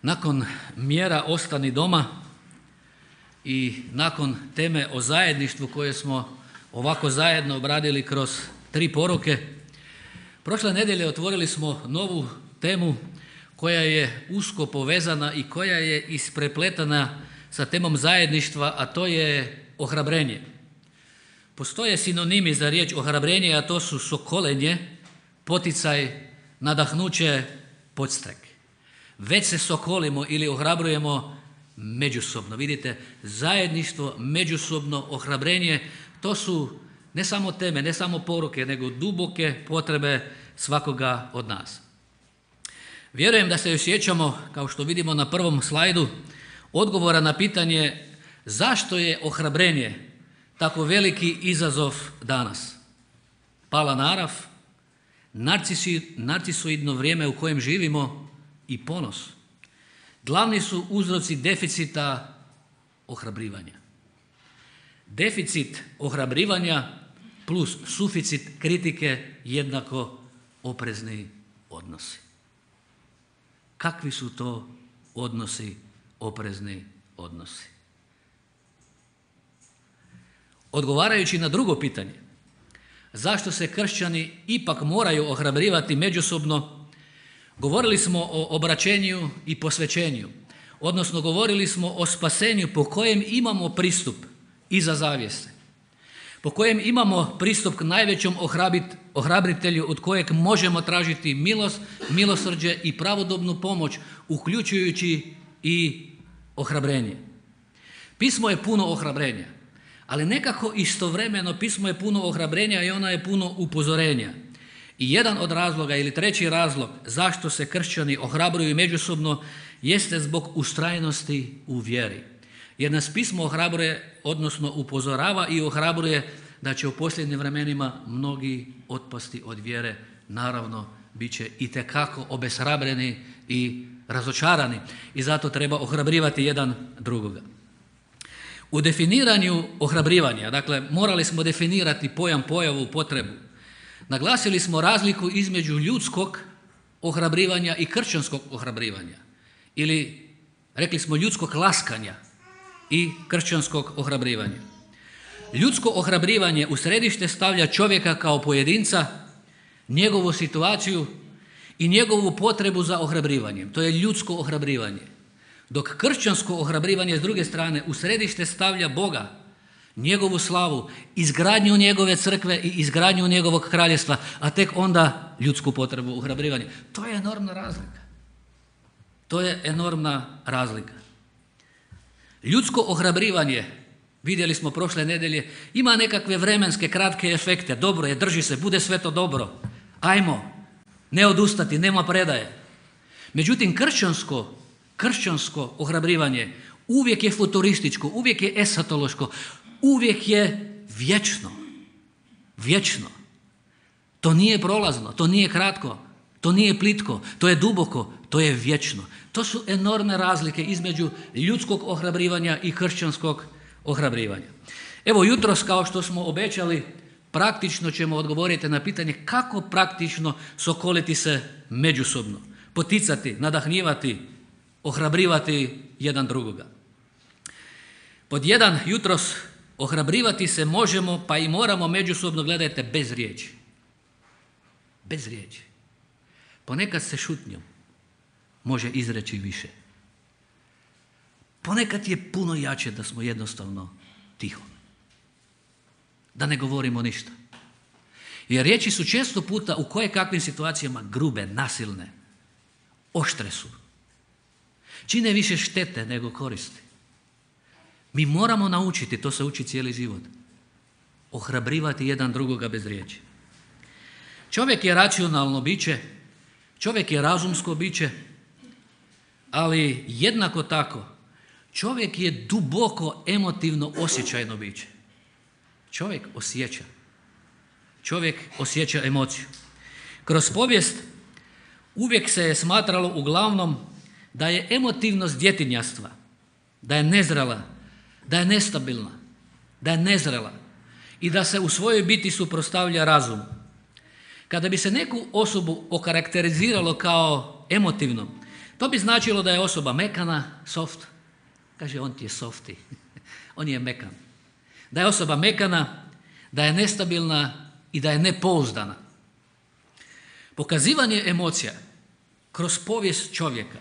Nakon mjera Ostani doma i nakon teme o zajedništvu koje smo ovako zajedno obradili kroz 3 poruke, prošle nedjelje otvorili smo novu temu koja je usko povezana i koja je isprepletana sa temom zajedništva, a to je ohrabrenje. Postoje sinonimi za riječ ohrabrenje, a to su sokolenje, poticaj, nadahnuće, podstrek. Već se sokolimo ili ohrabrujemo međusobno. Vidite, zajedništvo, međusobno ohrabrenje, to su ne samo teme, ne samo poruke, nego duboke potrebe svakoga od nas. Vjerujem da se još sjećamo, kao što vidimo na prvom slajdu, odgovora na pitanje zašto je ohrabrenje tako veliki izazov danas. Pala narav, narcisoidno vrijeme u kojem živimo i ponos glavni su uzroci deficita ohrabrivanja. Deficit ohrabrivanja plus suficit kritike jednako oprezni odnosi. Kakvi su to odnosi, oprezni odnosi? Odgovarajući na drugo pitanje, zašto se kršćani ipak moraju ohrabrivati međusobno, govorili smo o obraćenju i posvećenju, odnosno govorili smo o spasenju po kojem imamo pristup iza zavjese, po kojem imamo pristup k najvećom ohrabritelju od kojeg možemo tražiti milost, milosrđe i pravodobnu pomoć, uključujući i ohrabrenje. Pismo je puno ohrabrenja, ali nekako istovremeno pismo je puno ohrabrenja i ono je puno upozorenja. I jedan od razloga ili treći razlog zašto se kršćani ohrabruju međusobno jeste zbog ustrajnosti u vjeri. Jer nas pismo ohrabruje, odnosno upozorava i ohrabruje da će u posljednjim vremenima mnogi otpasti od vjere. Naravno, bit će itekako obeshrabreni i razočarani i zato treba ohrabrivati jedan drugoga. U definiranju ohrabrivanja, dakle, morali smo definirati pojam, pojavu, potrebu. Naglasili smo razliku između ljudskog ohrabrivanja i kršćanskog ohrabrivanja. Ili, rekli smo, ljudskog laskanja i kršćanskog ohrabrivanja. Ljudsko ohrabrivanje u središte stavlja čovjeka kao pojedinca, njegovu situaciju i njegovu potrebu za ohrabrivanjem. To je ljudsko ohrabrivanje. Dok kršćansko ohrabrivanje s druge strane u središte stavlja Boga, njegovu slavu, izgradnju njegove crkve i izgradnju njegovog kraljevstva, a tek onda ljudsku potrebu ohrabrivanja. To je enormna razlika. To je enormna razlika. Ljudsko ohrabrivanje, vidjeli smo prošle nedjelje, ima nekakve vremenske kratke efekte. Dobro je, drži se, bude sve to dobro. Ajmo, ne odustati, nema predaje. Međutim, kršćansko ohrabrivanje uvijek je futurističko, uvijek je esatološko, uvijek je vječno. Vječno. To nije prolazno, to nije kratko, to nije plitko, to je duboko, to je vječno. To su enormne razlike između ljudskog ohrabrivanja i kršćanskog ohrabrivanja. Evo jutros, kao što smo obećali, praktično ćemo odgovoriti na pitanje kako praktično sokoliti se međusobno, poticati, nadahnjivati, ohrabrivati jedan drugoga. Pod 1, jutros ohrabrivati se možemo pa i moramo međusobno, gledajte, bez riječi. Bez riječi. Ponekad se šutnjom može izreći više. Ponekad je puno jače da smo jednostavno tiho. Da ne govorimo ništa. Jer riječi su često puta u kojekakvim situacijama grube, nasilne, oštre su. Čine više štete nego koristi. Mi moramo naučiti, to se uči cijeli život, ohrabrivati jedan drugoga bez riječi. Čovjek je racionalno biće, čovjek je razumsko biće, ali jednako tako čovjek je duboko emotivno osjećajno biće. Čovjek osjeća emociju. Kroz povijest uvijek se je smatralo uglavnom da je emotivnost djetinjastva, da je nezrela, da je nestabilna, da je nezrela i da se u svojoj biti suprotstavlja razumu. Kada bi se neku osobu okarakteriziralo kao emotivnom, To bi značilo da je osoba mekana, soft. Kaže, on ti je softi. On je mekan. Da je osoba mekana, da je nestabilna i da je nepouzdana. Pokazivanje emocija kroz povijest čovjeka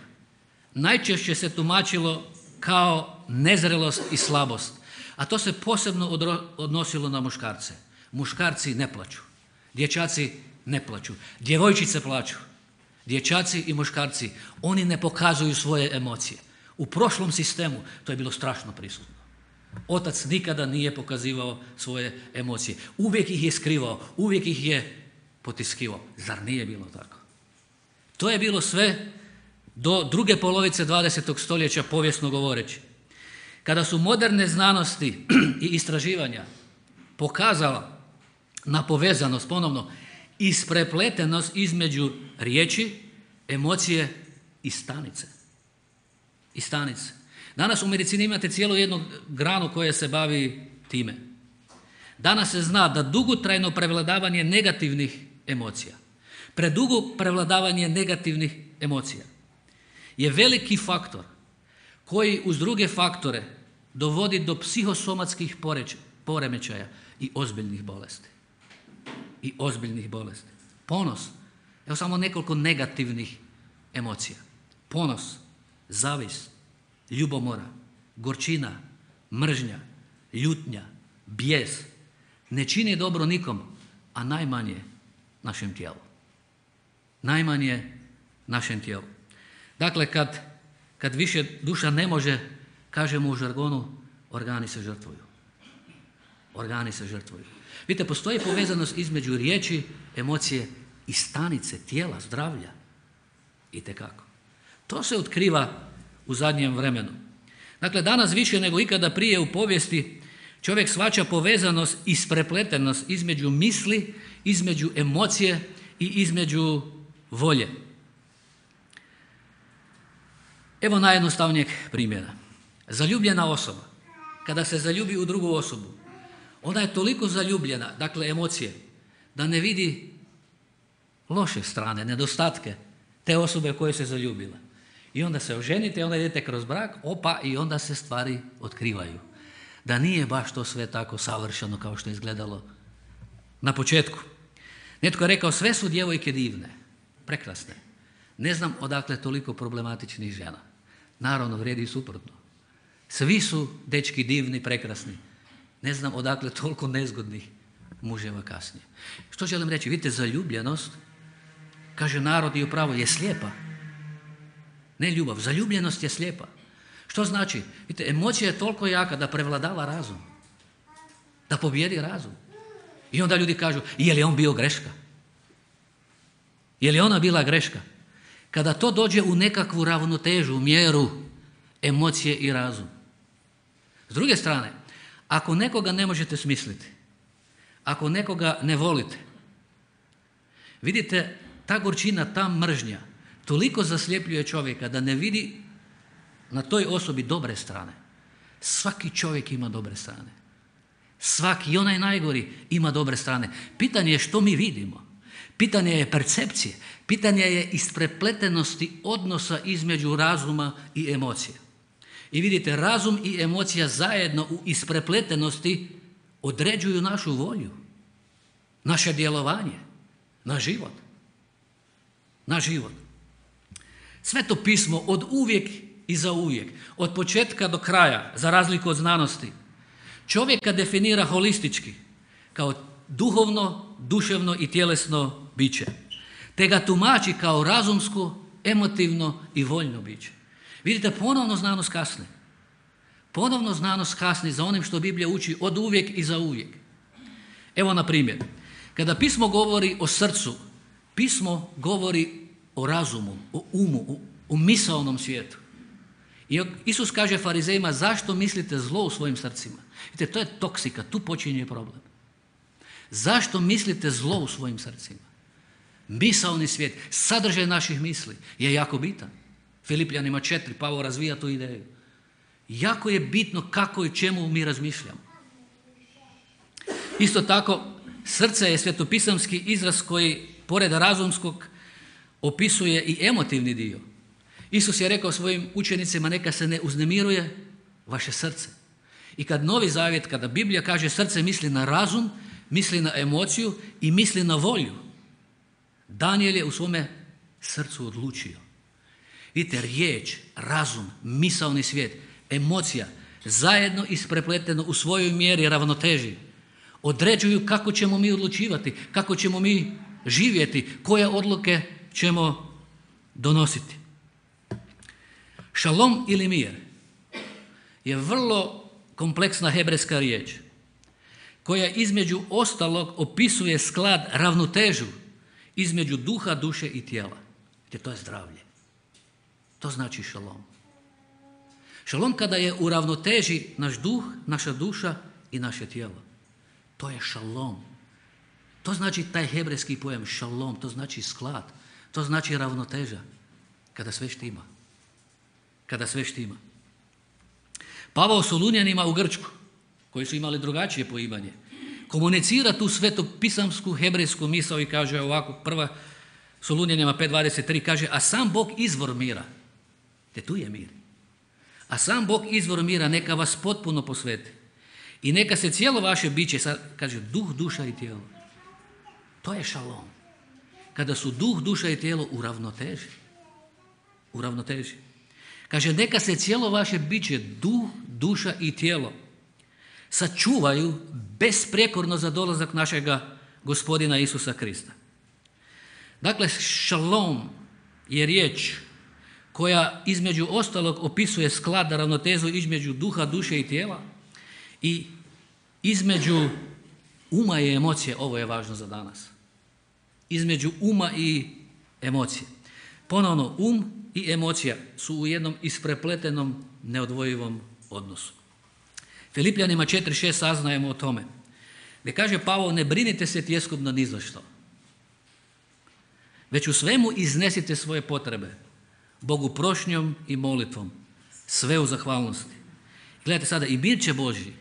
najčešće se tumačilo kao nezrelost i slabost, a to se posebno odnosilo na muškarce. Muškarci ne plaču, dječaci ne plaču, djevojčice plaču. Dječaci i muškarci, oni ne pokazuju svoje emocije. U prošlom sistemu to je bilo strašno prisutno. Otac nikada nije pokazivao svoje emocije. Uvijek ih je skrivao, uvijek ih je potiskivao. Zar nije bilo tako? To je bilo sve do druge polovice 20. stoljeća, povijesno govoreći. Kada su moderne znanosti i istraživanja pokazala na povezanost, ponovno, isprepletenost između riječi, emocije i stanice. I stanice. Danas u medicini imate cijelu jednu granu koja se bavi time. Danas se zna da dugotrajno prevladavanje negativnih emocija, predugo prevladavanje negativnih emocija je veliki faktor koji uz druge faktore dovodi do psihosomatskih poremećaja i ozbiljnih bolesti. I ozbiljnih bolesti. Ponos. Evo samo nekoliko negativnih emocija. Ponos, zavist, ljubomora, gorčina, mržnja, ljutnja, bijes ne čini dobro nikom, a najmanje našem tijelu. Najmanje našem tijelu. Dakle, kad više duša ne može, kažemo u žargonu, organi se žrtvuju. Organi se žrtvuju. Vidite, postoji povezanost između riječi, emocije i stanice, tijela, zdravlja. Itekako. To se otkriva u zadnjem vremenu. Dakle, danas više nego ikada prije u povijesti čovjek shvaća povezanost i isprepletenost između misli, između emocije i između volje. Evo najjednostavnijeg primjera. Zaljubljena osoba, kada se zaljubi u drugu osobu, ona je toliko zaljubljena, dakle emocije, da ne vidi loše strane, nedostatke te osobe koje se zaljubila. I onda se oženite, onda idete kroz brak, i onda se stvari otkrivaju. Da nije baš to sve tako savršeno kao što je izgledalo na početku. Netko je rekao, sve su djevojke divne, prekrasne. Ne znam odakle toliko problematičnih žena. Naravno, vrijedi i suprotno. Svi su dečki divni, prekrasni. Ne znam odakle toliko nezgodnih muževa kasnije. Što želim reći? Vidite, zaljubljenost, kaže narod i upravo, je slijepa. Ne ljubav, zaljubljenost je slijepa. Što znači? Vidite, emocija je toliko jaka da prevladava razum. Da pobjedi razum. I onda ljudi kažu, je li on bio greška? Je li ona bila greška? Kada to dođe u nekakvu ravnotežu, mjeru, emocije i razum. S druge strane, ako nekoga ne možete smisliti, ako nekoga ne volite, vidite, ta gorčina, ta mržnja toliko zasljepljuje čovjeka da ne vidi na toj osobi dobre strane. Svaki čovjek ima dobre strane. Svaki, i onaj najgori, ima dobre strane. Pitanje je što mi vidimo. Pitanje je percepcije. Pitanje je isprepletenosti odnosa između razuma i emocije. I vidite, razum i emocija zajedno u isprepletenosti određuju našu volju, naše djelovanje, naš život. Naš život. Sveto pismo od uvijek i za uvijek, od početka do kraja, za razliku od znanosti, čovjeka definira holistički, kao duhovno, duševno i tjelesno biće, te ga tumači kao razumsko, emotivno i voljno biće. Vidite, ponovno znanost kasni. Ponovno znanost kasni za onim što Biblija uči od uvijek i za uvijek. Evo na primjer, kada pismo govori o srcu, pismo govori o razumu, o umu, o misaonom svijetu. I Isus kaže farizejima, zašto mislite zlo u svojim srcima? Vidite, to je toksika, tu počinje problem. Zašto mislite zlo u svojim srcima? Misaoni svijet, sadržaj naših misli je jako bitan. Filipljanima 4, Pavao razvija tu ideju. Jako je bitno kako i čemu mi razmišljamo. Isto tako, srce je svetopisamski izraz koji, pored razumskog, opisuje i emotivni dio. Isus je rekao svojim učenicima, neka se ne uznemiruje vaše srce. I kad Novi Zavjet, kada Biblija kaže srce, misli na razum, misli na emociju i misli na volju. Danijel je u svome srcu odlučio. Vidite, riječ, razum, misaoni svijet, emocija, zajedno isprepleteno u svojoj mjeri ravnoteži, određuju kako ćemo mi odlučivati, kako ćemo mi živjeti, koje odluke ćemo donositi. Šalom ili mir je vrlo kompleksna hebrejska riječ koja između ostalog opisuje sklad, ravnotežu između duha, duše i tijela. Jer to je zdravlje. To znači šalom. Šalom kada je u ravnoteži naš duh, naša duša i naše tijelo. To je šalom. To znači taj hebrejski pojam šalom, to znači sklad, to znači ravnoteža. Kada sve štima. Kada sve štima. Pavao Solunjanima u Grčku, koji su imali drugačije poimanje, komunicira tu svetopisamsku hebrejsku misao i kaže ovako, prva Solunjanima 5.23 kaže, a sam Bog izvor mira, te tu je mir, a sam Bog izvor mira neka vas potpuno posveti i neka se cijelo vaše biće, sad kaže duh, duša i tijelo. To je šalom. Kada su duh, duša i tijelo u ravnoteži. U ravnoteži. Kaže, neka se cijelo vaše biće, duh, duša i tijelo, sačuvaju besprijekorno za dolazak našega Gospodina Isusa Krista. Dakle, šalom je riječ koja između ostalog opisuje sklad, ravnotežu između duha, duše i tijela i između uma i emocije. Ovo je važno za danas. Između uma i emocije. Ponovno, i emocija su u jednom isprepletenom, neodvojivom odnosu. Filipljanima 4.6 saznajemo o tome. Gdje kaže Pavao, ne brinite se tjeskobno ni za što, već u svemu iznesite svoje potrebe Bogu prošnjom i molitvom, sve u zahvalnosti. Gledajte sada, i mir će Božji,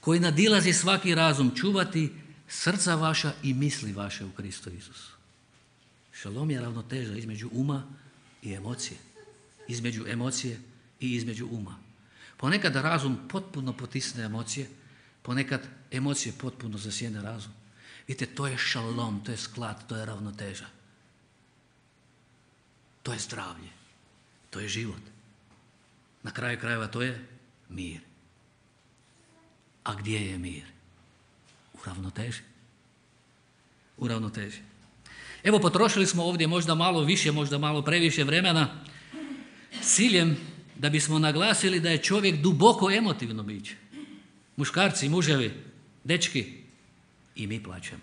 koji nadilazi svaki razum, čuvati srca vaša i misli vaše u Kristu Isusu. Šalom je ravnoteža između uma i emocije. Između emocije i između uma. Ponekad razum potpuno potisne emocije, ponekad emocije potpuno zasjene razum. Vidite, to je šalom, to je sklad, to je ravnoteža. To je zdravlje, to je život. Na kraju krajeva to je mir. A gdje je mir? U ravnoteži. U ravnoteži. Evo, potrošili smo ovdje možda malo više, možda malo previše vremena s ciljem da bismo naglasili da je čovjek duboko emotivno biće. Muškarci, muževi, dečki, i mi plačemo.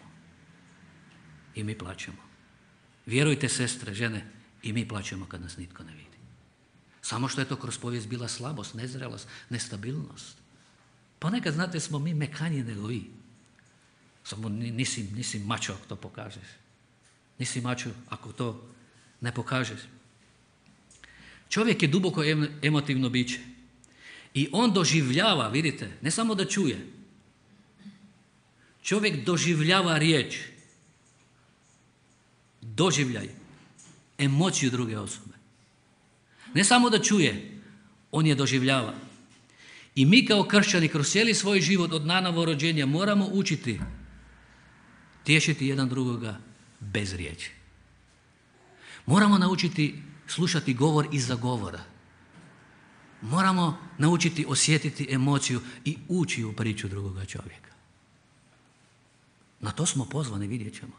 I mi plačemo. Vjerujte, sestre, žene, i mi plačemo kad nas nitko ne vidi. Samo što je to kroz povijest bila slabost, nezrelost, nestabilnost. Ponekad, znate, smo mi mekaniji nego vi. Samo nisi mačo ako to pokažeš. Nisi mačo ako to ne pokažeš. Čovjek je duboko emotivno biće. I on doživljava, vidite, ne samo da čuje. Čovjek doživljava riječ. Doživljaj. Emociju druge osobe. Ne samo da čuje, on je doživljava. I mi kao kršćani kroz cijeli svoj život od nanovo rođenja moramo učiti tješiti jedan drugoga bez riječi. Moramo naučiti slušati govor iza govora. Moramo naučiti osjetiti emociju i ući u priču drugoga čovjeka. Na to smo pozvani, vidjet ćemo.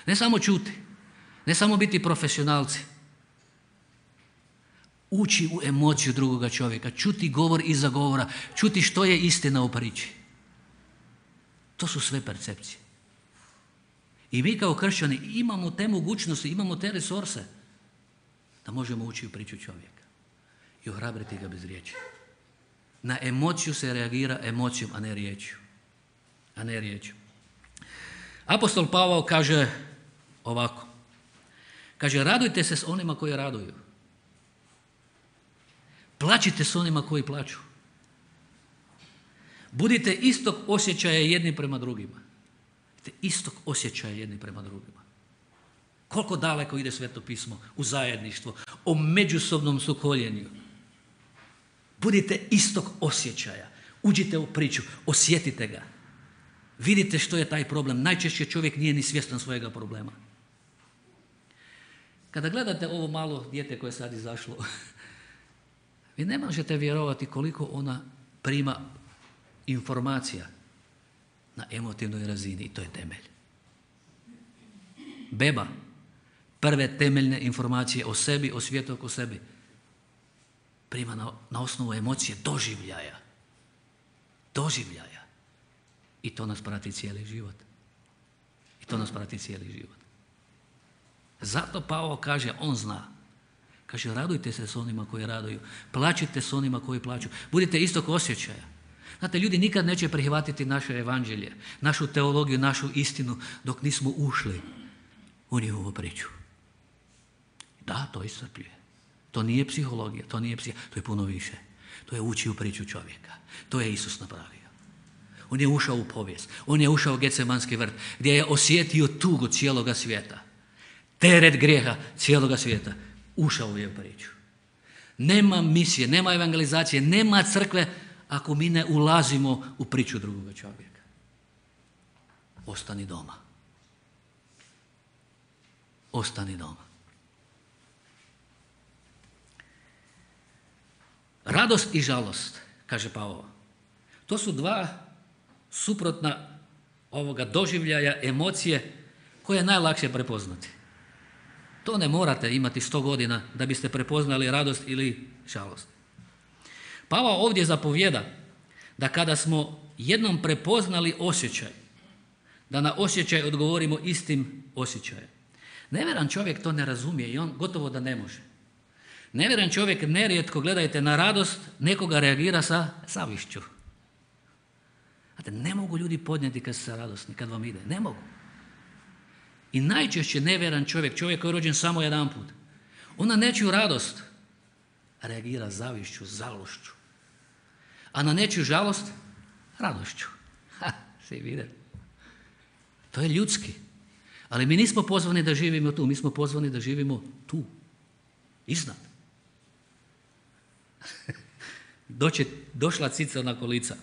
Ne samo čuti, ne samo biti profesionalci. Ući u emociju drugoga čovjeka, čuti govor iza govora, čuti što je istina u priči. To su sve percepcije. I mi kao kršćani imamo te mogućnosti, imamo te resurse da možemo ući u priču čovjeka i ohrabriti ga bez riječi. Na emociju se reagira emocijom, a ne riječju. A ne riječju. Apostol Pavao kaže ovako. Kaže, radujte se s onima koji raduju. Plačite s onima koji plaču. Budite istog osjećaja jedni prema drugima. Istog osjećaja jedni prema drugima. Koliko daleko ide Sveto pismo u zajedništvo, o međusobnom sukoljenju. Budite istog osjećaja. Uđite u priču, osjetite ga. Vidite što je taj problem. Najčešće čovjek nije ni svjestan svojega problema. Kada gledate ovo malo dijete koje je sad izašlo, vi ne možete vjerovati koliko ona prima informacija na emotivnoj razini i to je temelj. Beba, prve temeljne informacije o sebi, o svijetu oko sebi, prima na osnovu emocije, doživljaja. I to nas prati cijeli život. Zato Pavao kaže, on zna. Kaže, radujte se s onima koji raduju, plačite s onima koji plaću. Budite istog osjećaja. Znate, ljudi nikad neće prihvatiti naše evanđelje, našu teologiju, našu istinu, dok nismo ušli u njihovu priču. Da, to iscrpljuje. To nije psihologija, to je puno više. To je ući u priču čovjeka. To je Isus napravio. On je ušao u povijest. On je ušao u Getsemanski vrt, gdje je osjetio tugu cijeloga svijeta. Teret grijeha cijeloga svijeta. Ušao je u priču. Nema misije, nema evangelizacije, nema crkve ako mi ne ulazimo u priču drugoga čovjeka. Ostani doma. Radost i žalost, kaže Pavao, to su dva suprotna ovoga doživljaja, emocije koje je najlakše prepoznati. To ne morate imati 100 godina da biste prepoznali radost ili žalost. Pavao ovdje zapovijeda da kada smo jednom prepoznali osjećaj, da na osjećaj odgovorimo istim osjećajem. Nevjeran čovjek to ne razumije i on gotovo da ne može. Nevjeran čovjek nerijetko, gledajte, na radost nekoga reagira sa zavišću. Znate, ne mogu ljudi podnijeti kad su radosni, kad vam ide. Ne mogu. I najčešće nevjeran čovjek koji je rođen samo jedanput, on na nečiju radost reagira zavišću, žalošću. A na nečiju žalost, radošću. Svi vide. To je ljudski. Ali mi nismo pozvani da živimo tu, mi smo pozvani da živimo tu. Iznad. Došla cica na kolica.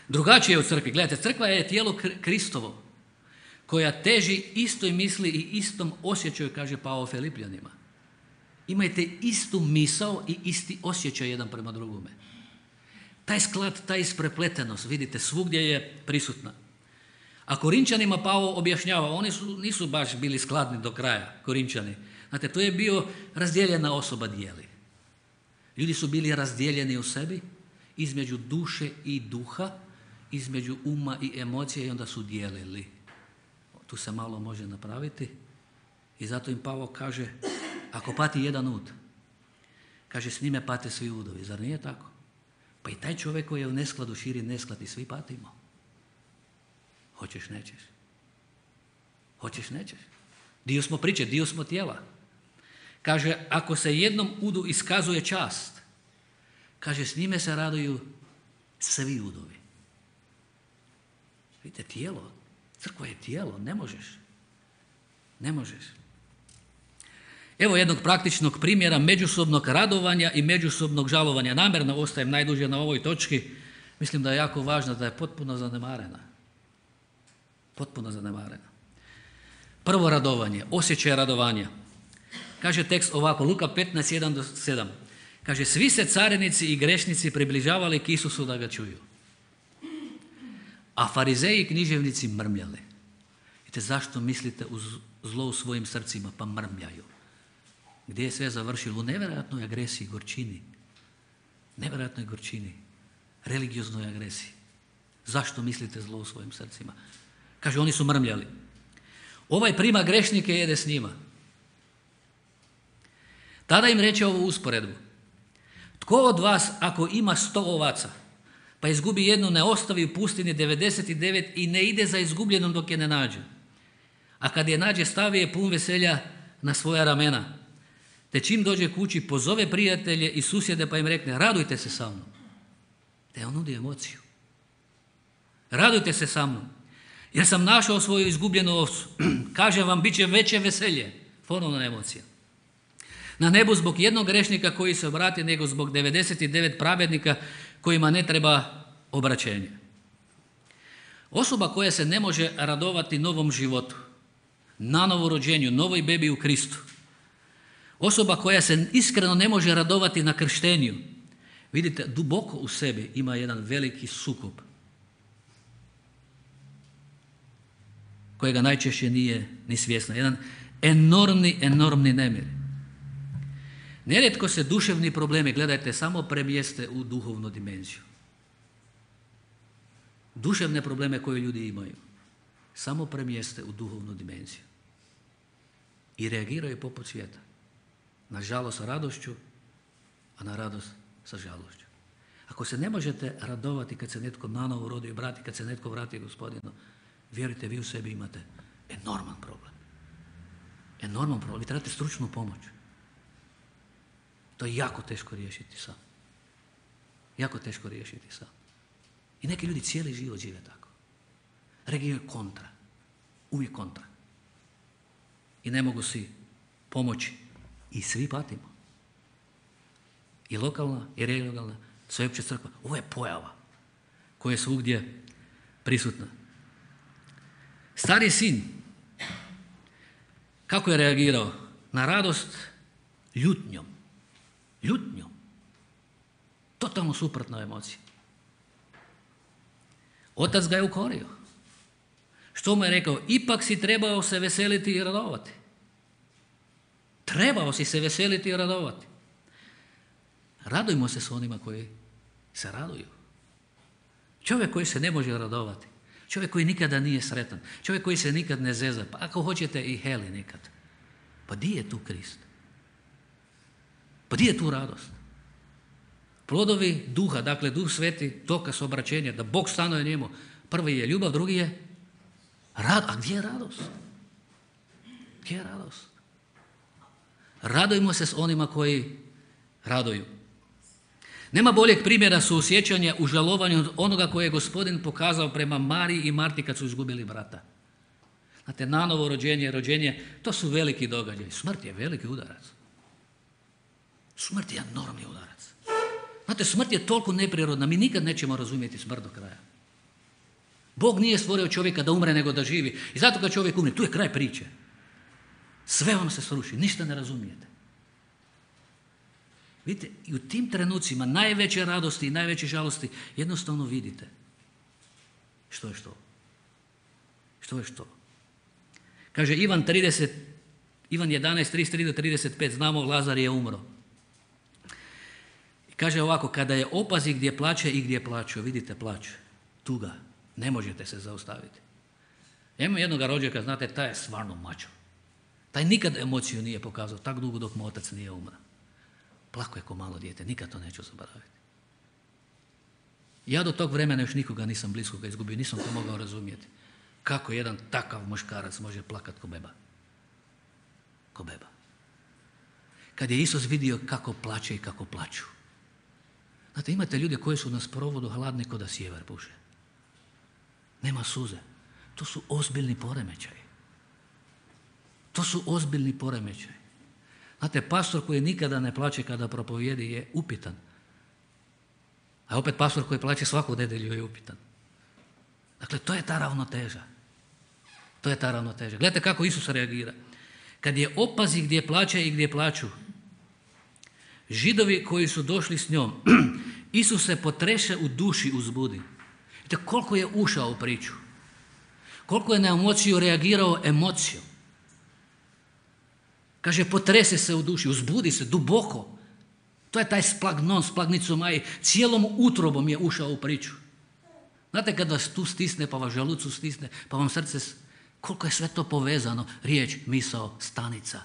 Drugačije je u crkvi. Gledajte, crkva je tijelo Kristovo, koja teži istoj misli i istom osjećaju, kaže Pavao Filipljanima. Imajte istu misao i isti osjećaj jedan prema drugome. Taj sklad, ta isprepletenost, vidite, svugdje je prisutna. A Korinčanima Pavao objašnjava, oni nisu baš bili skladni do kraja, Korinčani. Znate, to je bio razdijeljena osoba dijeli. Ljudi su bili razdijeljeni u sebi, između duše i duha, između uma i emocije i onda su dijelili. Tu se malo može napraviti i zato im Pavao kaže, ako pati jedan ud, kaže, s njime pate svi udovi. Zar nije tako? Pa i taj čovjek koji je u neskladu širi nesklad i svi patimo. Hoćeš, nećeš. Dio smo priče, dio smo tijela. Kaže, ako se jednom udu iskazuje čast, kaže, s njime se raduju svi udovi. Vidite, tijelo, crkva je tijelo, ne možeš. Evo jednog praktičnog primjera međusobnog radovanja i međusobnog žalovanja. Namjerno ostajem najduže na ovoj točki. Mislim da je jako važno, da je potpuno zanemarena. Prvo radovanje, osjećaj radovanja. Kaže tekst ovako, Luka 15, 1-7. Kaže, svi se carinici i grešnici približavali k Isusu da ga čuju. A farizeji i književnici mrmljali. Vidite, zašto mislite zlo u svojim srcima? Pa mrmljaju. Gdje je sve završilo? U nevjerojatnoj agresiji, gorčini. Religioznoj agresiji. Zašto mislite zlo u svojim srcima? Kaže, oni su mrmljali. Ovaj prima grešnike i jede s njima. Tada im reče ovu usporedbu. Tko od vas, ako ima 100 ovaca, pa izgubi jednu, ne ostavi u pustini 99 i ne ide za izgubljenom dok je ne nađe? A kad je nađe, stavi je pun veselja na svoja ramena. Te čim dođe kući, pozove prijatelje i susjede pa im rekne, radujte se sa mnom. Te on nudi emociju. Radujte se sa mnom. jer sam našao svoju izgubljenu ovcu. Kažem vam, bit će veće veselje, ponovna emocija, na nebu zbog jednog grešnika koji se obrati, nego zbog 99 pravednika kojima ne treba obraćenje. Osoba koja se ne može radovati novom životu, na novorođenju, novoj bebi u Kristu, osoba koja se iskreno ne može radovati na krštenju, vidite, duboko u sebi ima jedan veliki sukob kojega najčešće nije ni svjesna. Jedan enormni nemir. Nerijetko se duševni problemi, gledajte, samo premjeste u duhovnu dimenziju. Duševne probleme koje ljudi imaju samo premjeste u duhovnu dimenziju i reagiraju poput svijeta. Na žalost sa radošću, a na radost sa žalošću. Ako se ne možete radovati kad se netko nanovo rodi i vrati, kad se netko vrati Gospodinu, vjerujte, vi u sebi imate enorman problem. Enorman problem. Vi trebate stručnu pomoć. To je jako teško riješiti sam. Jako teško riješiti sam. I neki ljudi cijeli život žive tako. Reagiraju kontra. Uvijek kontra. I ne mogu si pomoći. I svi patimo. I lokalna, i regionalna, sveopća crkva. Ovo je pojava koja je svugdje prisutna. Stari sin, kako je reagirao? Na radost ljutnjom. Ljutnjom. Totalno suprotna emocija. Otac ga je ukorio. Što mu je rekao? Ipak si trebao se veseliti i radovati. Trebao si se veseliti i radovati. Radujmo se s onima koji se raduju. Čovjek koji se ne može radovati. Čovjek koji nikada nije sretan. Čovjek koji se nikad ne zeza. Pa ako hoćete i heli nikad. Pa di je tu Krist? Pa di je tu radost? Plodovi duha, dakle Duh Sveti, dokaz obraćenja, da Bog stanuje njemu. Prvi je ljubav, drugi je rad. A gdje je radost? Gdje je radost? Radujmo se s onima koji raduju. Nema boljeg primjera suosjećanja u žalovanju od onoga koje je Gospodin pokazao prema Mariji i Marti kad su izgubili brata. Znate, nanovo rođenje, to su veliki događaji. Smrt je veliki udarac. Smrt je enormni udarac. Znate, smrt je toliko neprirodna, mi nikad nećemo razumjeti smrt do kraja. Bog nije stvorio čovjeka da umre nego da živi. I zato kad čovjek umre, tu je kraj priče. Sve vam se sruši, ništa ne razumijete. Vidite, i u tim trenucima najveće radosti i najveće žalosti jednostavno vidite što je što. Što je što. Kaže Ivan 11, 33 do 35, znamo Lazar je umro. I kaže ovako, kada je opazi gdje plače i gdje plaću, vidite plać, tuga, ne možete se zaustaviti. Ja imam jednoga rođaka, znate, taj je stvarno mačo. Taj nikad emociju nije pokazao, tak dugo dok mu otac nije umro. Plako je ko malo dijete, nikad to neću zaboraviti. Ja do tog vremena još nikoga nisam bliskoga izgubio, nisam to mogao razumjeti. Kako jedan takav muškarac može plakat ko beba? Ko beba. Kad je Isus vidio kako plače i kako plaću. Znate, imate ljude koji su na sprovodu hladni ko da sjever puše. Nema suze. To su ozbiljni poremećaji. To su ozbiljni poremećaji. Znate, pastor koji nikada ne plače kada propovijedi je upitan. A opet pastor koji plače svaku nedjelju je upitan. Dakle, to je ta ravnoteža. To je ta ravnoteža. Gledajte kako Isus reagira. Kad je opazi gdje plače i gdje plaću, Židovi koji su došli s njom, Isus se potreše u duši uzbudi. Vidite koliko je ušao u priču. Koliko je na emociju reagirao emocijom. Kaže, potrese se u duši, uzbudi se duboko. To je taj splagnon, splagnicomaj, cijelom utrobom je ušao u priču. Znate kad vas tu stisne, pa vas želucu stisne, pa vam srce, koliko je sve to povezano, riječ, misao, stanica.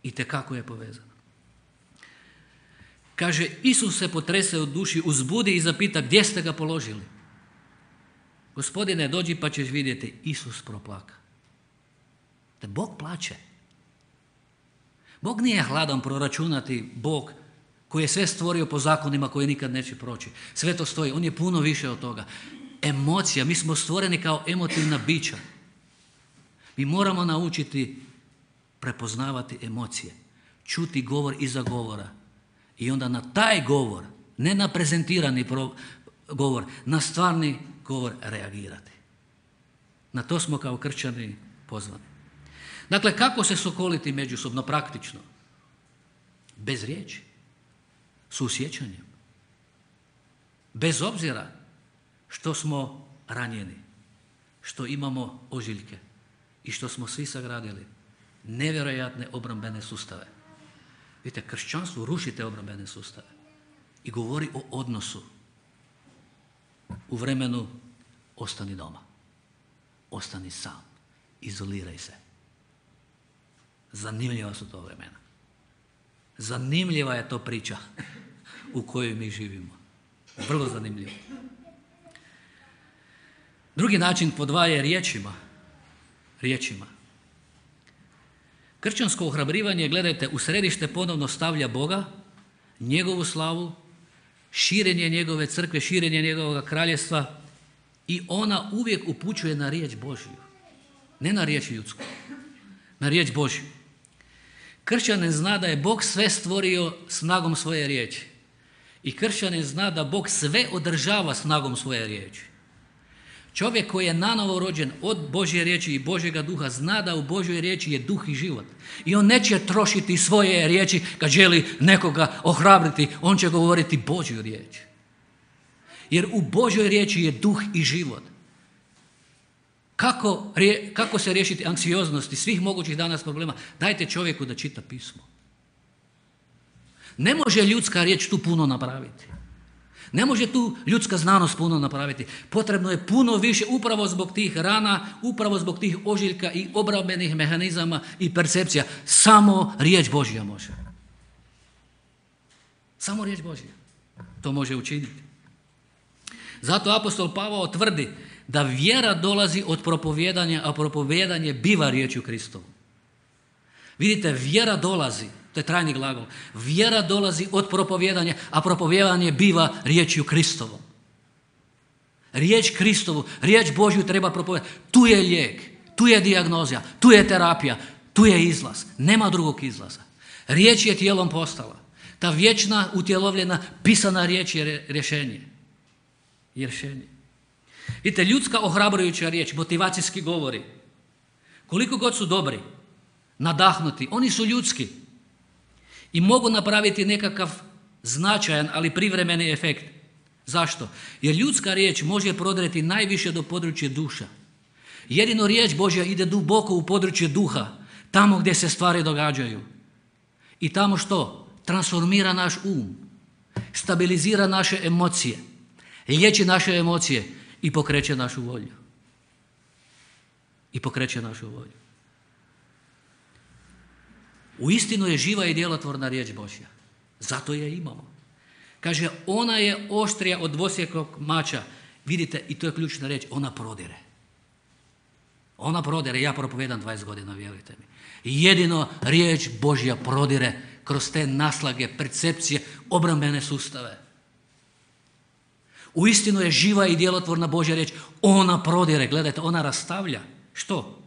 Itekako je povezano. Kaže, Isus se potrese u duši, uzbudi i zapita, gdje ste ga položili? Gospodine, dođi pa ćeš vidjeti, Isus proplaka. Te Bog plače. Bog nije hladan proračunati, Bog koji je sve stvorio po zakonima koji nikad neće proći. Sve to stoji, on je puno više od toga. emocija. Mi smo stvoreni kao emotivna bića. Mi moramo naučiti prepoznavati emocije, čuti govor iza govora i onda na taj govor, ne na prezentirani govor, na stvarni govor reagirati. Na to smo kao kršćani pozvani. Dakle, kako se sokoliti međusobno praktično? Bez riječi, susjećanjem. Bez obzira što smo ranjeni, što imamo ožiljke i što smo svi sagradili nevjerojatne obrambene sustave. Vidite, kršćanstvo ruši te obrambene sustave i govori o odnosu u vremenu ostani doma, ostani sam, izoliraj se. Zanimljiva su to vremena. Zanimljiva je to priča u kojoj mi živimo. Vrlo zanimljivo. Drugi način pod dva je riječima. Kršćansko ohrabrivanje, gledajte, u središte ponovno stavlja Boga, njegovu slavu, širenje njegove crkve, širenje njegovog kraljestva i ona uvijek upućuje na riječ Božju. Ne na riječ ljudsku, na riječ Božju. Kršćanin zna da je Bog sve stvorio snagom svoje riječi. I kršćanin zna da Bog sve održava snagom svoje riječi. Čovjek koji je nanovo rođen od Božje riječi i Božjega duha zna da u Božjoj riječi je duh i život. I on neće trošiti svoje riječi kad želi nekoga ohrabriti, on će govoriti Božju riječ. Jer u Božjoj riječi je duh i život. Kako se riješiti anksioznosti svih mogućih danas problema? Dajte čovjeku da čita pismo. Ne može ljudska riječ tu puno napraviti. Ne može tu ljudska znanost puno napraviti. Potrebno je puno više upravo zbog tih rana, upravo zbog tih ožiljka i obrambenih mehanizama i percepcija. Samo riječ Božja može. Samo riječ Božja to može učiniti. Zato apostol Pavao tvrdi da vjera dolazi od propovijedanja, a propovijedanje biva riječju Kristovu. Vidite, vjera dolazi, to je trajni glagol, vjera dolazi od propovijedanja, a propovijedanje biva riječju Kristovom. Riječ Kristovu, riječ Božju treba propovijedati. Tu je lijek, tu je dijagnoza, tu je terapija, tu je izlaz. Nema drugog izlaza. Riječ je tijelom postala. Ta vječna, utjelovljena, pisana riječ je rješenje. Vidite, ljudska ohrabrujuća riječ, motivacijski govori, koliko god su dobri, nadahnuti, oni su ljudski i mogu napraviti nekakav značajan, ali privremeni efekt. Zašto? Jer ljudska riječ može prodreti najviše do područja duša. Jedino riječ Božja ide duboko u područje duha, tamo gdje se stvari događaju. I tamo što? Transformira naš um, stabilizira naše emocije, liječi naše emocije i pokreće našu volju. Uistinu je živa i djelotvorna riječ Božja. Zato je imamo. Kaže, ona je oštrija od dvosjekog mača. Vidite, i to je ključna riječ, ona prodire. Ja propovijedam 20 godina, vjerujte mi. Jedino riječ Božja prodire kroz te naslage, percepcije, obrambene sustave. Uistinu je živa i djelotvorna Božja riječ. Ona prodire, gledajte, ona rastavlja. Što?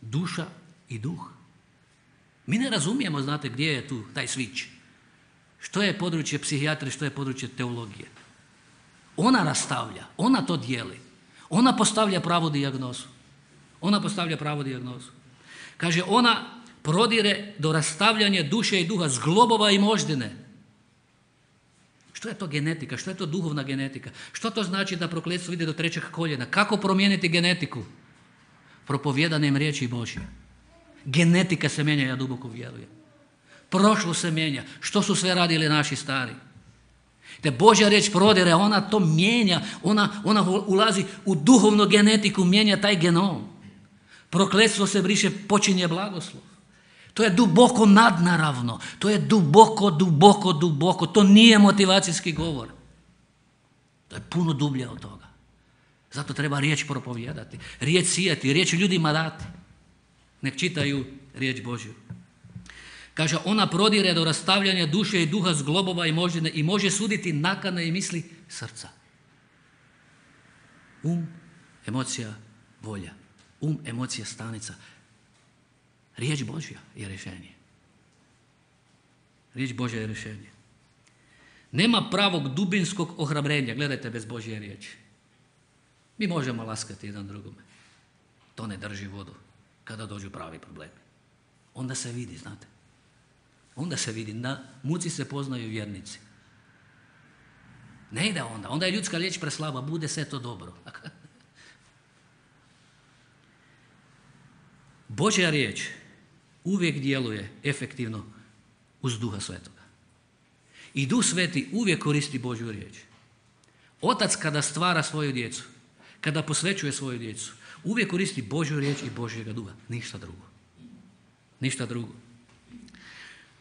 Duša i duh. Mi ne razumijemo, znate, gdje je tu taj switch. Što je područje psihijatrije, što je područje teologije. Ona rastavlja, ona to dijeli. Ona postavlja pravu dijagnozu. Kaže, ona prodire do rastavljanja duše i duha, zglobova i moždine. Što je to genetika? Što je to duhovna genetika? Što to znači da prokletstvo ide do 3. koljena? Kako promijeniti genetiku? Propovijedanjem riječi Božje. Genetika se mijenja, ja duboko vjerujem. Prošlo se mijenja. Što su sve radili naši stari? Te Božja riječ prodire, ona to mijenja, ona ulazi u duhovnu genetiku, mijenja taj genom. Prokletstvo se briše, počinje blagoslov. To je duboko nadnaravno, to je duboko, to nije motivacijski govor. To je puno dublje od toga. Zato treba riječ propovijedati, riječ sijati, riječ ljudima dati. Nek čitaju riječ Božju. Kaže, ona prodire do rastavljanja duše i duha, zglobova i moždine i može suditi nakane i misli srca. Um, emocija, volja. Um, emocija, stanica. Riječ Božja je rješenje. Riječ Božja je rješenje. Nema pravog dubinskog ohrabrenja, gledajte, bez Božje riječi. Mi možemo laskati jedan drugome. To ne drži vodu kada dođu pravi problemi. Onda se vidi, znate. Onda se vidi, na muci se poznaju vjernici. Ne ide onda. Onda je ljudska riječ preslaba, bude sve to dobro. Božja riječ uvijek djeluje efektivno uz Duha Svetoga. I Duh Sveti uvijek koristi Božju riječ. Otac kada stvara svoju djecu, kada posvećuje svoju djecu, uvijek koristi Božju riječ i Božjega Duha. Ništa drugo. Ništa drugo.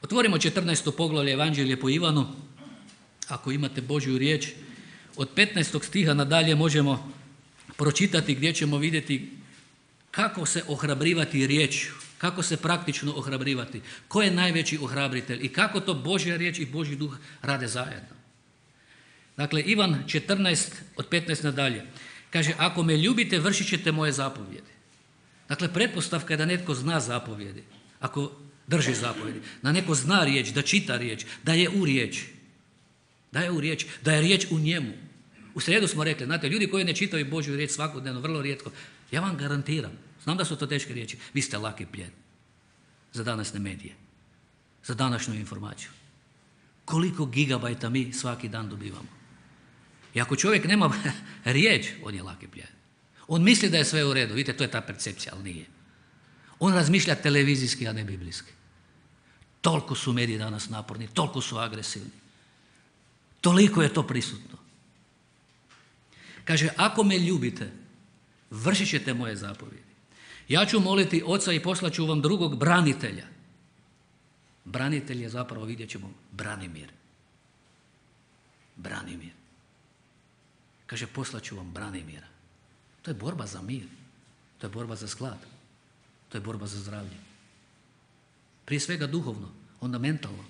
Otvorimo 14. poglavlje Evanđelje po Ivanu. Ako imate Božju riječ, od 15. stiha nadalje možemo pročitati gdje ćemo vidjeti kako se ohrabrivati riječju, kako se praktično ohrabrivati, ko je najveći ohrabritelj i kako to Božja riječ i Božji Duh rade zajedno. Dakle, Ivan 14 od 15 nadalje kaže, ako me ljubite, vršit ćete moje zapovjedi. Dakle, pretpostavka je da netko zna zapovjedi, ako drži zapovjedi, da neko zna riječ, da čita riječ, da je u riječi. Da je u riječi, da je riječ u njemu. U srijedu smo rekli, znate, ljudi koji ne čitaju Božju riječ svakodnevno, vrlo rijetko, ja vam garantiram, znam da su to teške riječi, vi ste laki plijen za današnje medije, za današnju informaciju. Koliko gigabajta mi svaki dan dobivamo. I ako čovjek nema riječ, on je laki plijen. On misli da je sve u redu, vidite, to je ta percepcija, ali nije. On razmišlja televizijski, a ne biblijski. Toliko su mediji danas naporni, toliko su agresivni. Toliko je to prisutno. Kaže, ako me ljubite, vršit ćete moje zapovjedi. Ja ću moliti Oca i poslat ću vam drugog branitelja. Branitelj je zapravo, vidjet ćemo, Branimir. Branimir. Kaže, poslat ću vam Branimira. To je borba za mir. To je borba za sklad. To je borba za zdravlje. Prije svega duhovno, onda mentalno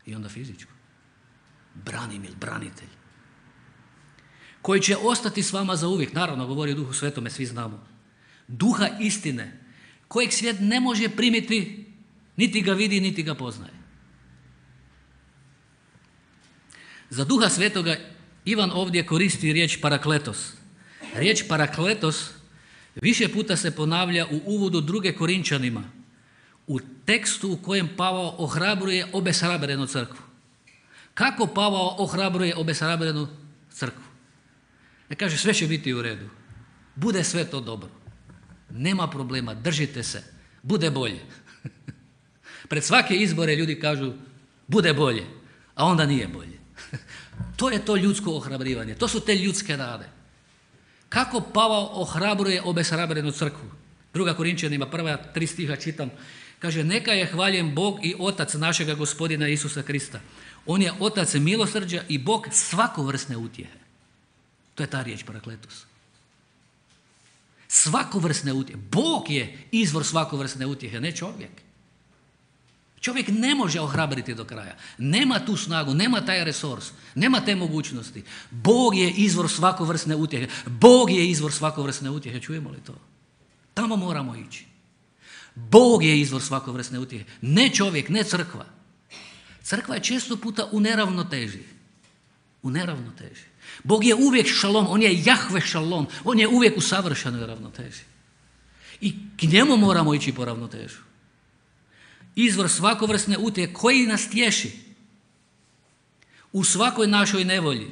i onda fizičko. Branimir, branitelj. Koji će ostati s vama za uvijek. Naravno, govori o Duhu Svetome, svi znamo. Duha istine, kojeg svijet ne može primiti, niti ga vidi, niti ga poznaje. Za Duha Svetoga Ivan ovdje koristi riječ parakletos. Riječ parakletos više puta se ponavlja u uvodu 2. Korinčanima, u tekstu u kojem Pavao ohrabruje obeshrabrenu crkvu. Kako Pavao ohrabruje obeshrabrenu crkvu? Ne kaže, sve će biti u redu. Bude sve to dobro. Nema problema, držite se. Bude bolje. Pred svake izbore ljudi kažu, bude bolje, a onda nije bolje. To je to ljudsko ohrabrivanje. To su te ljudske nade. Kako Pavao ohrabruje obeshrabrenu crkvu? 2. Korinčanima, prva 3 stiha čitam. Kaže, neka je hvaljen Bog i Otac našega Gospodina Isusa Krista. On je Otac milosrđa i Bog svakovrsne utjehe. To je ta riječ parakletos. Svakovrsne utjehe. Bog je izvor svakovrsne utjehe, ne čovjek. Čovjek ne može ohrabriti do kraja. Nema tu snagu, nema taj resurs, nema te mogućnosti. Bog je izvor svakovrsne utjehe. Bog je izvor svakovrsne utjehe. Čujemo li to? Tamo moramo ići. Bog je izvor svakovrsne utjehe. Ne čovjek, ne crkva. Crkva je često puta u neravnoteži. U neravnoteži. Bog je uvijek šalom, on je Jahve šalom, on je uvijek u savršenoj ravnoteži. I k njemu moramo ići po ravnotežu. Izvor svakovrsne utjehe koji nas tješi u svakoj našoj nevolji.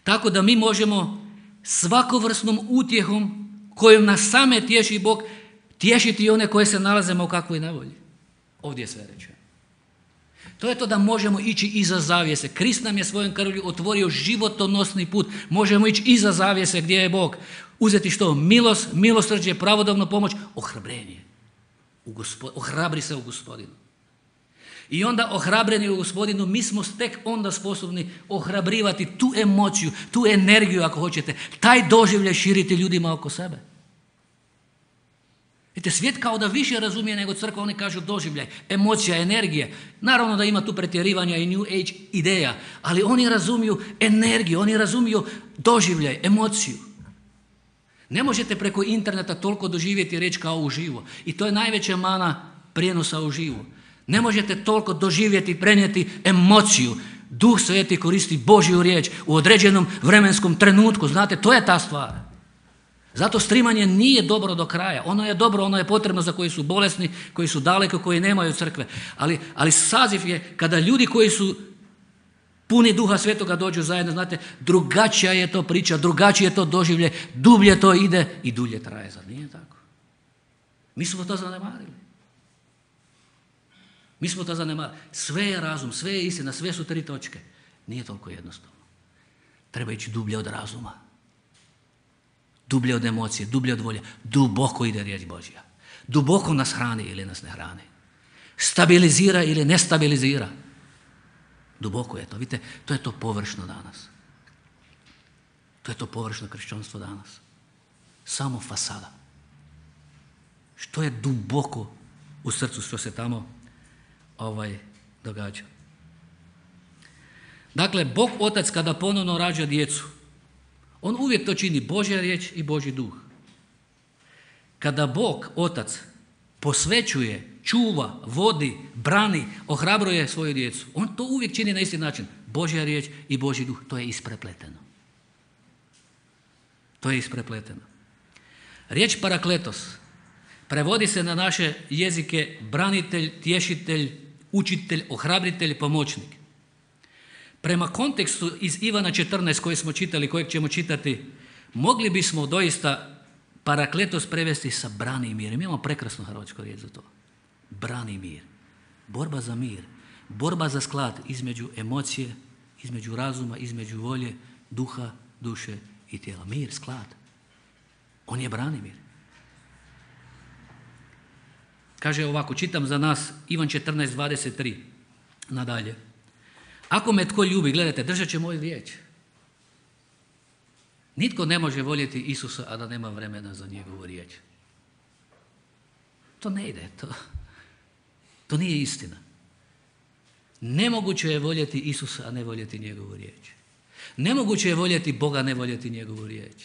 Tako da mi možemo svakovrsnom utjehom kojom nas same tješi Bog tješiti i one koje se nalazimo u kakvoj nevolji. Ovdje je sve rečeno. To je to da možemo ići iza zavjese. Krist nam je svojom krvlju otvorio životonosni put. Možemo ići iza zavjese gdje je Bog. Uzeti što? Milost, milosrđe, pravodobnu pomoć, ohrabrenje. Ohrabri se u Gospodinu. I onda ohrabreni u Gospodinu mi smo tek onda sposobni ohrabrivati tu emociju, tu energiju ako hoćete, taj doživljaj širiti ljudima oko sebe. Vidite, svijet kao da više razumije nego crkva, oni kažu doživljaj, emocija, energija. Naravno da ima tu pretjerivanja i New Age ideja, ali oni razumiju energiju, oni razumiju doživljaj, emociju. Ne možete preko interneta toliko doživjeti riječ kao uživo. I to je najveća mana prijenosa uživo. Ne možete toliko doživjeti i prenijeti emociju. Duh Sveti koristi Božju riječ u određenom vremenskom trenutku. Znate, to je ta stvar. Zato streamanje nije dobro do kraja. Ono je dobro, ono je potrebno za koji su bolesni, koji su daleko, koji nemaju crkve. Ali saziv je kada ljudi koji su puni Duha Svetoga dođu zajedno, znate, drugačija je to priča, drugačije je to doživlje, dublje to ide i dulje traje. Zar nije tako? Mi smo to zanemarili. Sve je razum, sve je istina, sve su 3 točke. Nije toliko jednostavno. Treba ići dublje od razuma. Dublje od emocije, dublje od volje. Duboko ide riječ Božja. Duboko nas hrani ili nas ne hrani. Stabilizira ili ne stabilizira. Duboko je to. Vidite, to je to površno danas. To je to površno kršćanstvo danas. Samo fasada. Što je duboko u srcu što se tamo događa. Dakle, Bog Otac kada ponovno rađa djecu, on uvijek to čini, Božja riječ i Božji duh. Kada Bog Otac posvećuje, čuva, vodi, brani, ohrabruje svoju djecu, on to uvijek čini na isti način. Božja riječ i Božji duh, to je isprepleteno. To je isprepleteno. Riječ parakletos prevodi se na naše jezike branitelj, tješitelj, učitelj, ohrabritelj, pomoćnik. Prema kontekstu iz Ivana 14 koji smo čitali, kojeg ćemo čitati, mogli bismo doista parakletos prevesti sa brani mir. Mi imamo prekrasnu hrvatsku riječ za to. Brani mir. Borba za mir. Borba za sklad između emocije, između razuma, između volje, duha, duše i tijela. Mir, sklad. On je brani mir. Kaže ovako, čitam za nas Ivan 14:23 nadalje. Ako me tko ljubi, gledajte, držat će moju riječ. Nitko ne može voljeti Isusa, a da nema vremena za njegovu riječ. To ne ide, to nije istina. Nemoguće je voljeti Isusa, a ne voljeti njegovu riječ. Nemoguće je voljeti Boga, a ne voljeti njegovu riječ.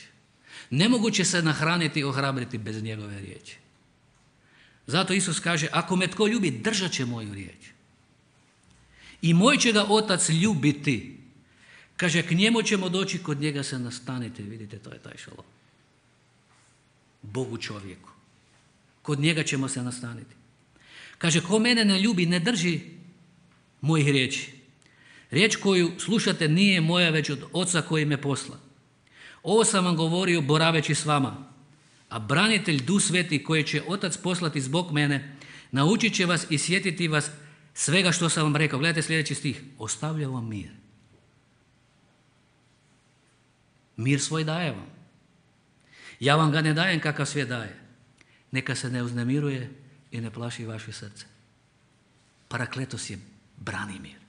Nemoguće se nahraniti i ohrabriti bez njegove riječi. Zato Isus kaže, ako me tko ljubi, držat će moju riječ. I moj će ga Otac ljubiti. Kaže, k njemu ćemo doći, kod njega se nastaniti. Vidite, to je taj šalom. Bogu čovjeku. Kod njega ćemo se nastaniti. Kaže, ko mene ne ljubi, ne drži mojih riječi. Riječ koju slušate nije moja, već od Oca koji me posla. Ovo sam vam govorio boraveći s vama. A branitelj Duh Sveti koji će Otac poslati zbog mene, naučit će vas i sjetiti vas svega što sam vam rekao. Gledajte sljedeći stih. Ostavljam vam mir. Mir svoj daje vam. Ja vam ga ne dajem kakav svijet daje. Neka se ne uznemiruje i ne plaši vaše srce. Parakletos je brani mir.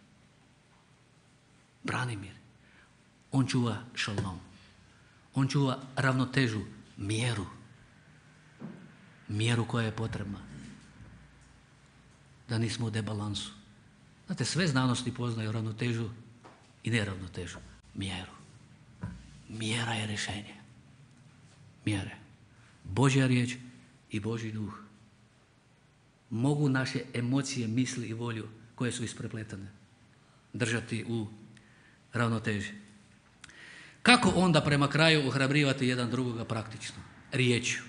Brani mir. On čuva šalom. On čuva ravnotežu, mjeru. Mjeru koja je potrebna. Da nismo u debalansu. Znate, sve znanosti poznaju ravnotežu i neravnotežu. Mjeru. Mjera je rješenje. Mjere. Božja riječ i Božji duh mogu naše emocije, misli i volju koje su isprepletane držati u ravnoteži. Kako onda prema kraju ohrabrivati jedan drugoga praktično? Riječju.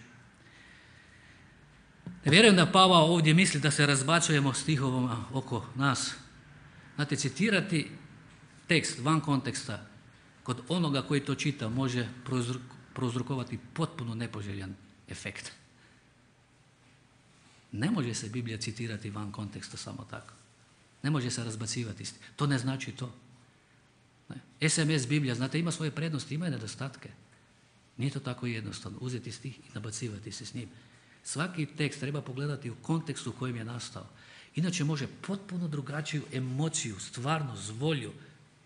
Ne vjerujem da Pavao ovdje misli da se razbacujemo stihovima oko nas. Znate, citirati tekst van konteksta kod onoga koji to čita može prouzrokovati potpuno nepoželjan efekt. Ne može se Biblija citirati van konteksta samo tako. Ne može se razbacivati. To ne znači to. Ne. SMS Biblija, znate, ima svoje prednosti, ima i nedostatke. Nije to tako jednostavno. Uzeti stih i nabacivati se s njim. Svaki tekst treba pogledati u kontekstu u kojem je nastao. Inače može potpuno drugačiju emociju, stvarnost, volju,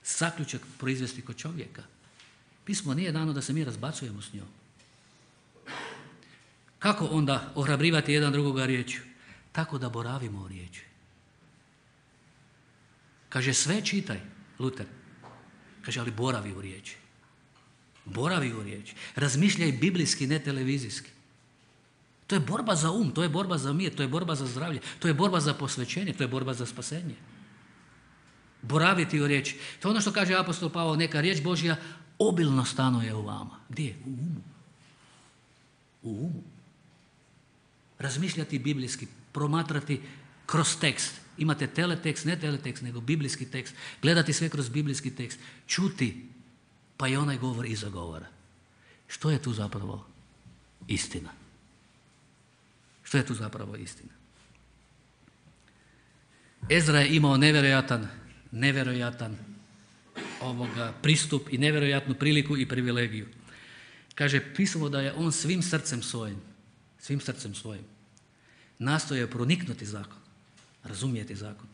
zaključak proizvesti kod čovjeka. Pismo nije dano da se mi razbacujemo s njom. Kako onda ohrabrivati jedan drugoga riječju? Tako da boravimo u riječi. Kaže, sve čitaj, Luter. Kaže, ali boravi u riječi. Boravi u riječi. Razmišljaj biblijski, ne televizijski. To je borba za to je borba za mir, to je borba za zdravlje, to je borba za posvećenje, to je borba za spasenje. Boraviti u riječi. To je ono što kaže apostol Pavao, neka riječ Božja obilno stanuje u vama. Gdje? U umu. U umu. Razmišljati biblijski, promatrati kroz tekst. Imate teletekst, ne teletekst, nego biblijski tekst. Gledati sve kroz biblijski tekst. Čuti, pa i onaj govor iza govora. Što je tu zapravo istina? Što je tu zapravo istina? Ezra je imao nevjerojatan pristup i nevjerojatnu priliku i privilegiju. Kaže pismo da je on svim srcem svojim nastojao proniknuti zakon, razumjeti zakon,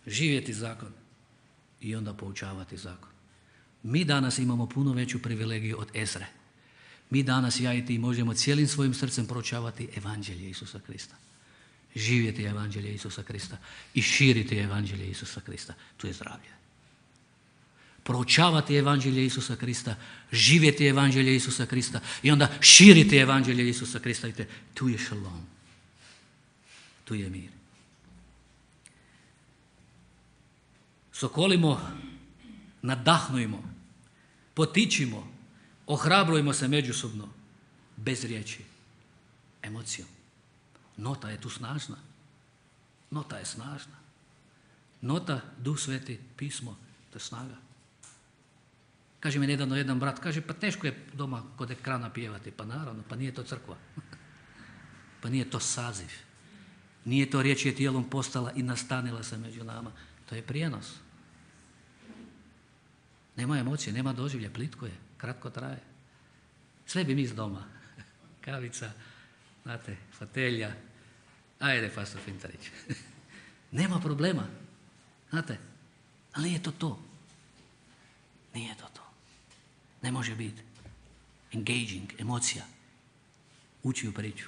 živjeti zakon i onda poučavati zakon. Mi danas imamo puno veću privilegiju od Ezre. Mi danas, ja i ti, možemo cijelim svojim srcem proučavati evanđelje Isusa Krista. Živjeti evanđelje Isusa Krista i širiti evanđelje Isusa Krista. Tu je zdravlje. Proučavati evanđelje Isusa Krista, živjeti evanđelje Isusa Krista i onda širiti evanđelje Isusa Krista. Vidite, tu je šalom. Tu je mir. Sokolimo, nadahnujmo, potičimo, ohrabrujmo se međusobno, bez riječi, emocijom. Nota je tu snažna. Nota je snažna. Nota, Duh Sveti, pismo, to je snaga. Kaže mi nedavno jedan brat, kaže pa teško je doma kod ekrana pjevati. Pa naravno, pa nije to crkva. Pa nije to saziv. Nije to riječ je tijelom postala i nastanila se među nama. To je prijenos. Nema emocije, nema doživlja, plitko je, kratko traje. Sve bi mi iz doma. Kavica, znate, fotelja. Ajde, pastor Fintarić. Nema problema. Znate, ali nije to to. Nije to to. Ne može biti. Engaging, emocija. Ući u priču.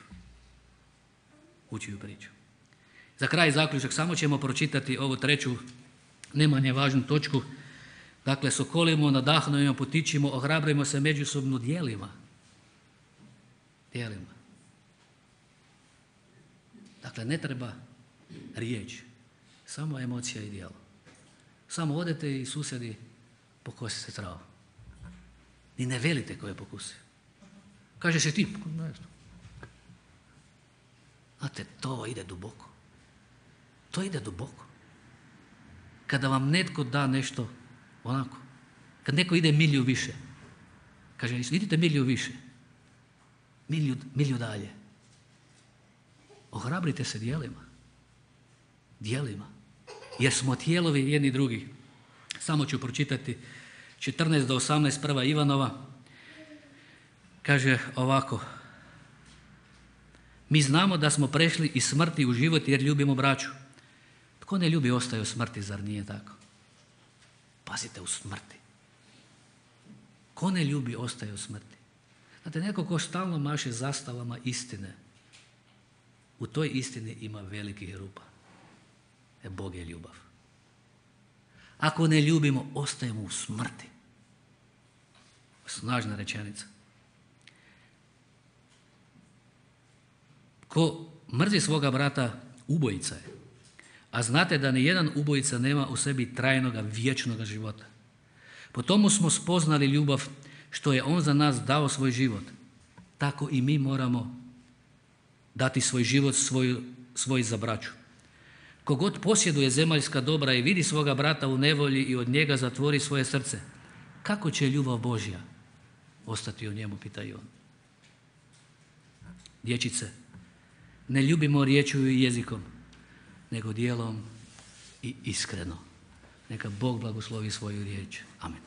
Ući u priču. Za kraj zaključak, samo ćemo pročitati ovu treću, ne manje važnu točku. Dakle, sokolimo, nadahnujemo, potičimo, ohrabrujemo se međusobno djelima. Djelima. Dakle, ne treba riječ, samo emocija i djelo. Samo odete i susjedi pokosite travu. Ni ne velite ko je pokusio. Kaže se ti, ne znam. Znate, to ide duboko. To ide duboko. Kada vam netko da nešto onako, kad neko ide milju više, kaže, idite milju više, milju dalje. Ohrabrite se djelima, jer smo tijelovi jedni drugi. Samo ću pročitati 14 do 18 prva Ivanova. Kaže ovako: mi znamo da smo prešli iz smrti u život jer ljubimo braću. Tko ne ljubi ostaje u smrti, zar nije tako? Pazite, u smrti. Ko ne ljubi ostaje u smrti. Znate, neko ko stalno maše zastavama istine, u toj istini ima velikih rupa. Bog je ljubav. Ako ne ljubimo, ostajemo u smrti. Snažna rečenica. Ko mrzi svoga brata, ubojica je. A znate da ni jedan ubojica nema u sebi trajnoga, vječnoga života. Po tomu smo spoznali ljubav što je on za nas dao svoj život. Tako i mi moramo dati svoj život svoj za braću. Kogod posjeduje zemaljska dobra i vidi svoga brata u nevolji i od njega zatvori svoje srce, kako će ljubav Božja ostati u njemu, pita i on. Dječice, ne ljubimo riječju i jezikom, nego djelom i iskreno. Neka Bog blagoslovi svoju riječ. Amen.